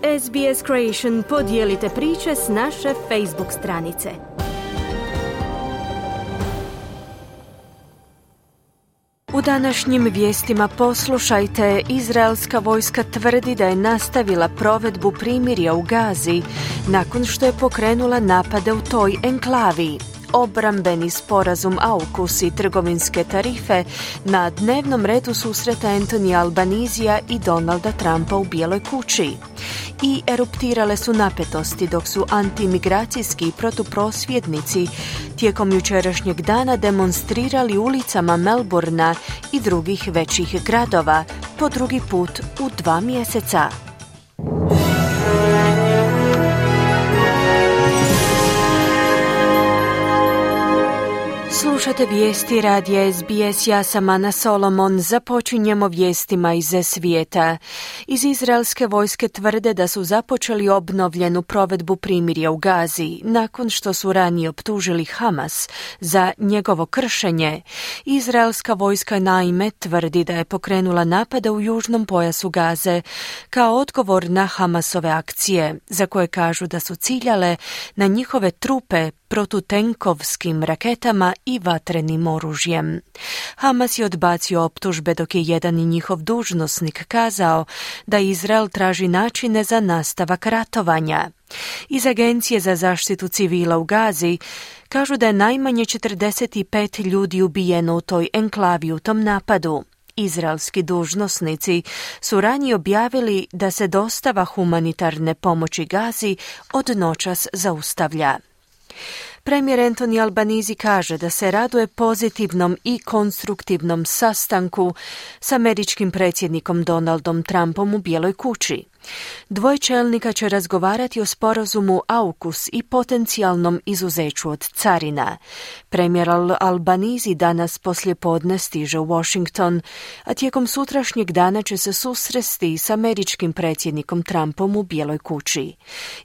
SBS Creation podijelite priče s naše Facebook stranice. U današnjim vijestima poslušajte, izraelska vojska tvrdi da je nastavila provedbu primirja u Gazi nakon što je pokrenula napade u toj enklavi. Obrambeni sporazum AUKUS i trgovinske tarife na dnevnom redu susreta Anthonyja Albanizija i Donalda Trumpa u Bijeloj kući. I eruptirale su napetosti dok su antimigracijski protuprosvjednici tijekom jučerašnjeg dana demonstrirali ulicama Melbourna i drugih većih gradova po drugi put u 2 mjeseca. Slušate vijesti radija SBS, ja sam Ana Solomon. Započinjemo vijestima iz svijeta. Iz izraelske vojske tvrde da su započeli obnovljenu provedbu primirja u Gazi, nakon što su ranije optužili Hamas za njegovo kršenje. Izraelska vojska naime tvrdi da je pokrenula napade u južnom pojasu Gaze kao odgovor na Hamasove akcije, za koje kažu da su ciljale na njihove trupe protutenkovskim raketama i vatrenim oružjem. Hamas je odbacio optužbe dok je jedan njihov dužnosnik kazao da Izrael traži načine za nastavak ratovanja. Iz Agencije za zaštitu civila u Gazi kažu da je najmanje 45 ljudi ubijeno u toj enklavi u tom napadu. Izraelski dužnosnici su ranije objavili da se dostava humanitarne pomoći Gazi od noćas zaustavlja. Premijer Anthony Albanese kaže da se raduje pozitivnom i konstruktivnom sastanku s američkim predsjednikom Donaldom Trumpom u Bijeloj kući. Dvoje čelnika će razgovarati o sporazumu AUKUS i potencijalnom izuzeću od carina. Premijer Albanese danas poslijepodne stiže u Washington, a tijekom sutrašnjeg dana će se susresti s američkim predsjednikom Trumpom u Bijeloj kući.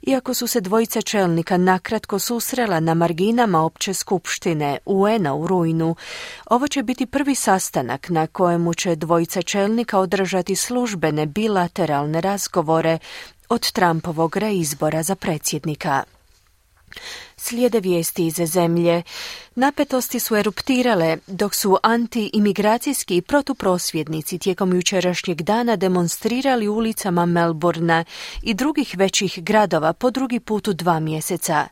Iako su se dvojica čelnika nakratko susrela na marginama opće skupštine UN-a u rujnu, ovo će biti prvi sastanak na kojemu će dvojica čelnika održati službene bilateralne razgovore od Trumpovog reizbora za predsjednika. Slijede vijesti iz zemlje. Napetosti su eruptirale dok su anti-imigracijski protuprosvjednici tijekom jučerašnjeg dana demonstrirali ulicama Melbourna i drugih većih gradova po drugi put u 2 mjeseca.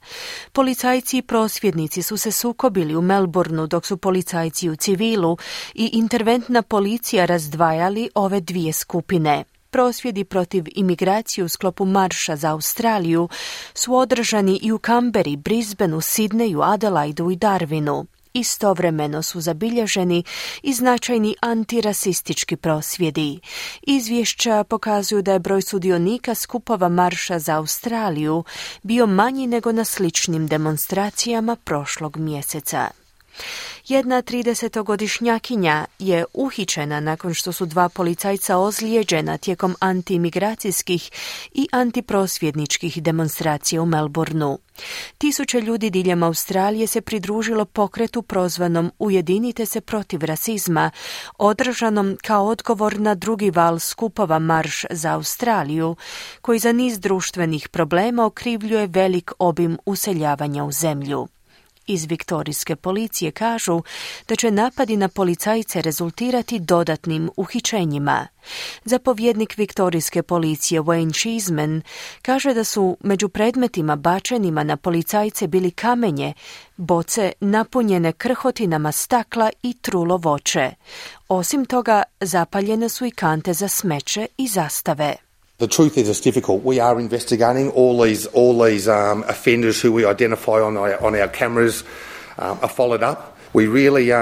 Policajci i prosvjednici su se sukobili u Melbournu dok su policajci u civilu i interventna policija razdvajali ove dvije skupine. Prosvjedi protiv imigracije u sklopu marša za Australiju su održani i u Canberri, Brisbaneu, Sidneju, Adelaidu i Darwinu. Istovremeno su zabilježeni i značajni antirasistički prosvjedi. Izvješća pokazuju da je broj sudionika skupova marša za Australiju bio manji nego na sličnim demonstracijama prošlog mjeseca. Jedna 30-godišnjakinja je uhićena nakon što su 2 policajca ozlijeđena tijekom antiimigracijskih i antiprosvjedničkih demonstracija u Melbourneu. Tisuće ljudi diljem Australije se pridružilo pokretu prozvanom Ujedinite se protiv rasizma, održanom kao odgovor na drugi val skupova Marš za Australiju, koji za niz društvenih problema okrivljuje velik obim useljavanja u zemlju. Iz viktorijske policije kažu da će napadi na policajce rezultirati dodatnim uhićenjima. Zapovjednik viktorijske policije Wayne Cheeseman kaže da su među predmetima bačenima na policajce bili kamenje, boce napunjene krhotinama stakla i trulo voće. Osim toga, zapaljene su i kante za smeće i zastave. The truth is it's difficult. We are investigating all these offenders who we identify on our cameras are followed up. We rely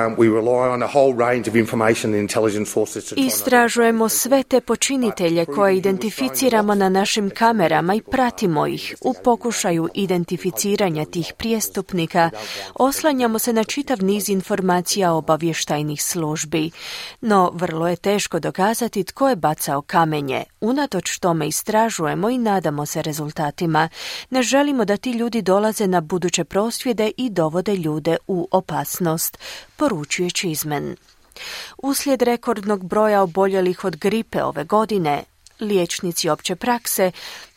on a whole range of information and intelligence sources. Istražujemo sve te počinitelje koje identificiramo na našim kamerama i pratimo ih. U pokušaju identificiranja tih prijestupnika oslanjamo se na čitav niz informacija obavještajnih službi. No, vrlo je teško dokazati tko je bacao kamenje. Unatoč tome istražujemo i nadamo se rezultatima. Ne želimo da ti ljudi dolaze na buduće prosvjede i dovode ljude u opasnost, poručuje Cheeseman. Uslijed rekordnog broja oboljelih od gripe ove godine, Liječnici opće prakse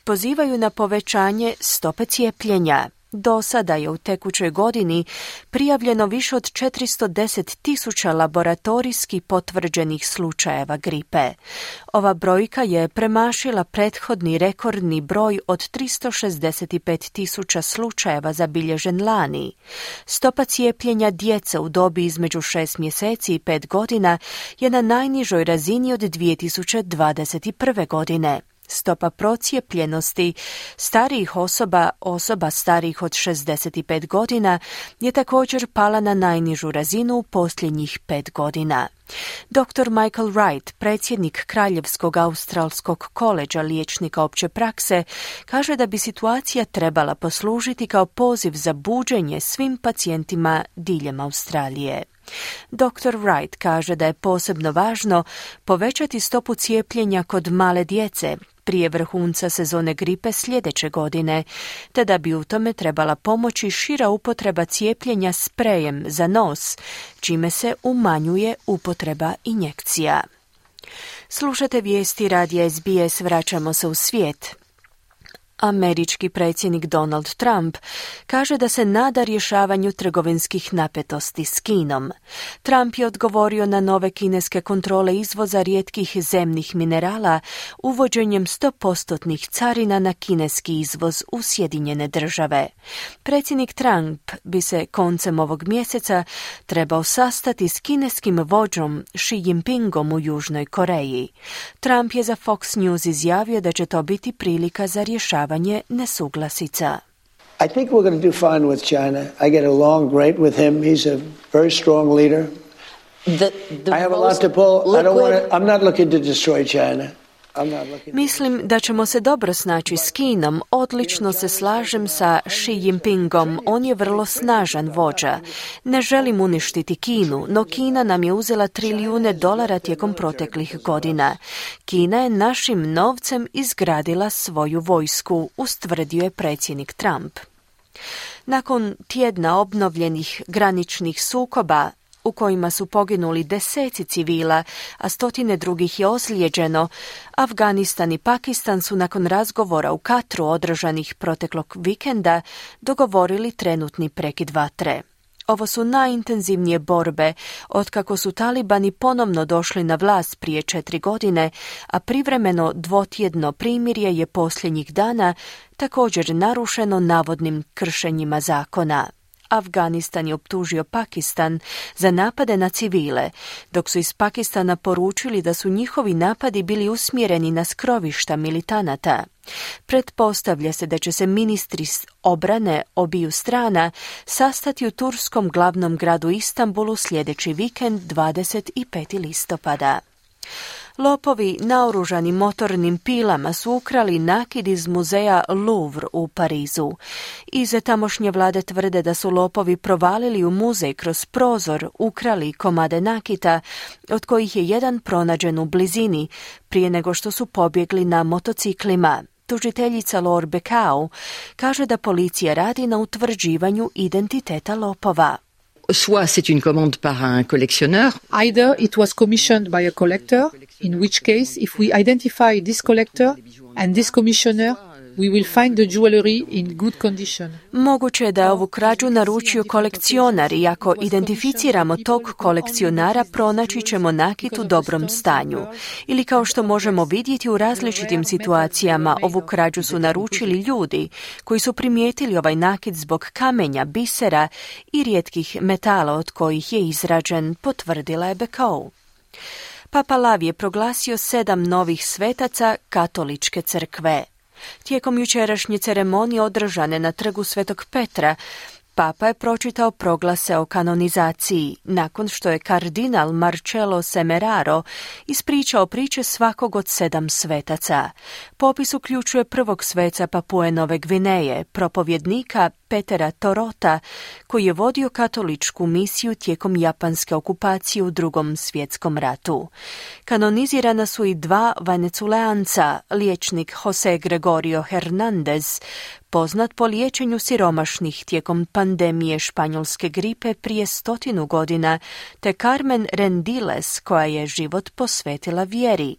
pozivaju na povećanje stope cijepljenja. Do sada je u tekućoj godini prijavljeno više od 410.000 laboratorijski potvrđenih slučajeva gripe. Ova brojka je premašila prethodni rekordni broj od 365.000 slučajeva zabilježen lani. Stopa cijepljenja djece u dobi između 6 mjeseci i 5 godina je na najnižoj razini od 2021. godine. Stopa procijepljenosti starijih osoba starijih od 65 godina je također pala na najnižu razinu u posljednjih 5 godina. Dr. Michael Wright, predsjednik Kraljevskog australskog koledža liječnika opće prakse, kaže da bi situacija trebala poslužiti kao poziv za buđenje svim pacijentima diljem Australije. Dr. Wright kaže da je posebno važno povećati stopu cijepljenja kod male djece prije vrhunca sezone gripe sljedeće godine, te da bi u tome trebala pomoći šira upotreba cijepljenja sprejem za nos, čime se umanjuje upotreba injekcija. Slušate vijesti radija SBS, vraćamo se u svijet. Američki predsjednik Donald Trump kaže da se nada rješavanju trgovinskih napetosti s Kinom. Trump je odgovorio na nove kineske kontrole izvoza rijetkih zemnih minerala uvođenjem 100% carina na kineski izvoz u Sjedinjene Države. Predsjednik Trump bi se koncem ovog mjeseca trebao sastati s kineskim vođom Xi Jinpingom u Južnoj Koreji. Trump je za Fox News izjavio da će to biti prilika za rješavanje nesuglasica. I think we're going to do fine with China. I get along great with him. He's a very strong leader. I have a lot to pull. I'm not looking to destroy China. Mislim da ćemo se dobro snaći s Kinom. Odlično se slažem sa Xi Jinpingom. On je vrlo snažan vođa. Ne želim uništiti Kinu, no Kina nam je uzela trilijune dolara tijekom proteklih godina. Kina je našim novcem izgradila svoju vojsku, ustvrdio je predsjednik Trump. Nakon tjedna obnovljenih graničnih sukoba, u kojima su poginuli deseci civila, a stotine drugih je ozlijeđeno, Afganistan i Pakistan su nakon razgovora u Katru održanih proteklog vikenda dogovorili trenutni prekid vatre. Ovo su najintenzivnije borbe otkako su talibani ponovno došli na vlast prije 4 godine, a privremeno dvotjedno primirje je posljednjih dana također narušeno navodnim kršenjima zakona. Afganistan je optužio Pakistan za napade na civile, dok su iz Pakistana poručili da su njihovi napadi bili usmjereni na skrovišta militanata. Pretpostavlja se da će se ministri obrane obiju strana sastati u turskom glavnom gradu Istanbulu sljedeći vikend 25. listopada. Lopovi naoružani motornim pilama su ukrali nakit iz muzeja Louvre u Parizu. Iz tamošnje vlade tvrde da su lopovi provalili u muzej kroz prozor, ukrali komade nakita, od kojih je jedan pronađen u blizini, prije nego što su pobjegli na motociklima. Tužiteljica Laure Becau kaže da policija radi na utvrđivanju identiteta lopova. Soit c'est une commande par un collectionneur. Either it was commissioned by a collector, in which case, if we identify this collector and this commissioner, we will find the jewelry in good condition. Moguće je da je ovu krađu naručio kolekcionar i ako identificiramo tog kolekcionara, pronaći ćemo nakit u dobrom stanju. Ili kao što možemo vidjeti u različitim situacijama, ovu krađu su naručili ljudi koji su primijetili ovaj nakit zbog kamenja, bisera i rijetkih metala od kojih je izrađen, potvrdila je Becau. Papa Lav je proglasio 7 novih svetaca katoličke crkve. Tijekom jučerašnje ceremonije održane na trgu Svetog Petra, Papa je pročitao proglase o kanonizaciji, nakon što je kardinal Marcello Semeraro ispričao priče svakog od 7 svetaca. Popis uključuje prvog sveca Papue Nove Gvineje, propovjednika Petera Torota, koji je vodio katoličku misiju tijekom japanske okupacije u Drugom svjetskom ratu. Kanonizirana su i 2 Veneculeanca, liječnik Jose Gregorio Hernandez, poznat po liječenju siromašnih tijekom pandemije španjolske gripe prije 100 godina, te Carmen Rendiles, koja je život posvetila vjeri.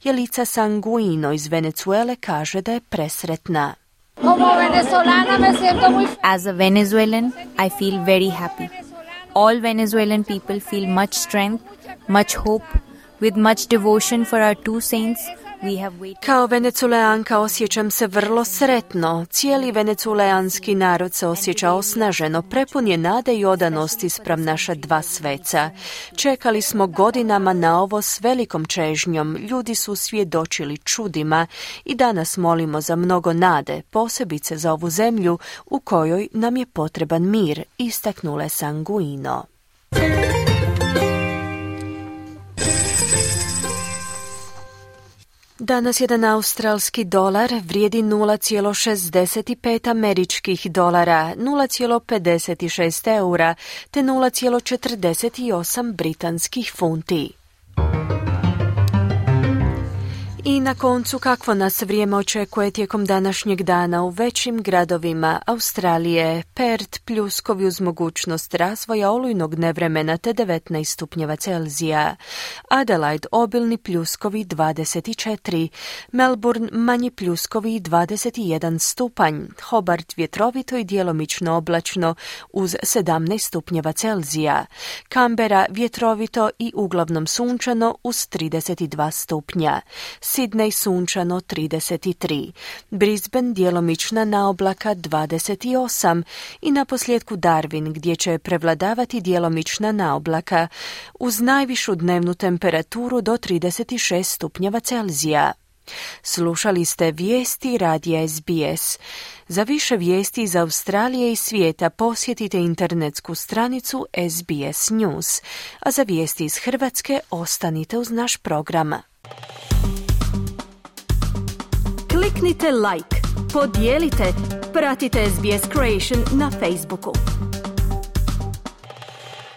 Jelica Sanguino iz Venezuele kaže da je presretna. As a Venezuelan, I feel very happy. All Venezuelan people feel much strength, much hope, with much devotion for our 2 saints. Kao Veneculeanka osjećam se vrlo sretno. Cijeli veneculeanski narod se osjeća osnaženo, prepun je nade i odanosti spram naša 2 sveca. Čekali smo godinama na ovo s velikom čežnjom, ljudi su svjedočili čudima i danas molimo za mnogo nade, posebice za ovu zemlju u kojoj nam je potreban mir, istaknule Sanguino. Danas jedan australski dolar vrijedi 0,65 američkih dolara, 0,56 eura te 0,48 britanskih funti. I na koncu, kakvo nas vrijeme očekuje tijekom današnjeg dana u većim gradovima Australije? Perth pljuskovi uz mogućnost razvoja olujnog nevremena te 19 stupnjeva Celzija. Adelaide obilni pljuskovi 24. Melbourne manji pljuskovi 21 stupanj. Hobart vjetrovito i djelomično oblačno uz 17 stupnjeva Celzija. Canberra vjetrovito i uglavnom sunčano uz 32 stupnja. Sydney sunčano 33, Brisbane djelomična naoblaka 28 i naposljetku Darwin gdje će prevladavati djelomična naoblaka uz najvišu dnevnu temperaturu do 36 stupnjeva Celzija. Slušali ste vijesti radija SBS. Za više vijesti iz Australije i svijeta posjetite internetsku stranicu SBS News, a za vijesti iz Hrvatske ostanite uz naš program. Kliknite like, podijelite, pratite SBS Creation na Facebooku.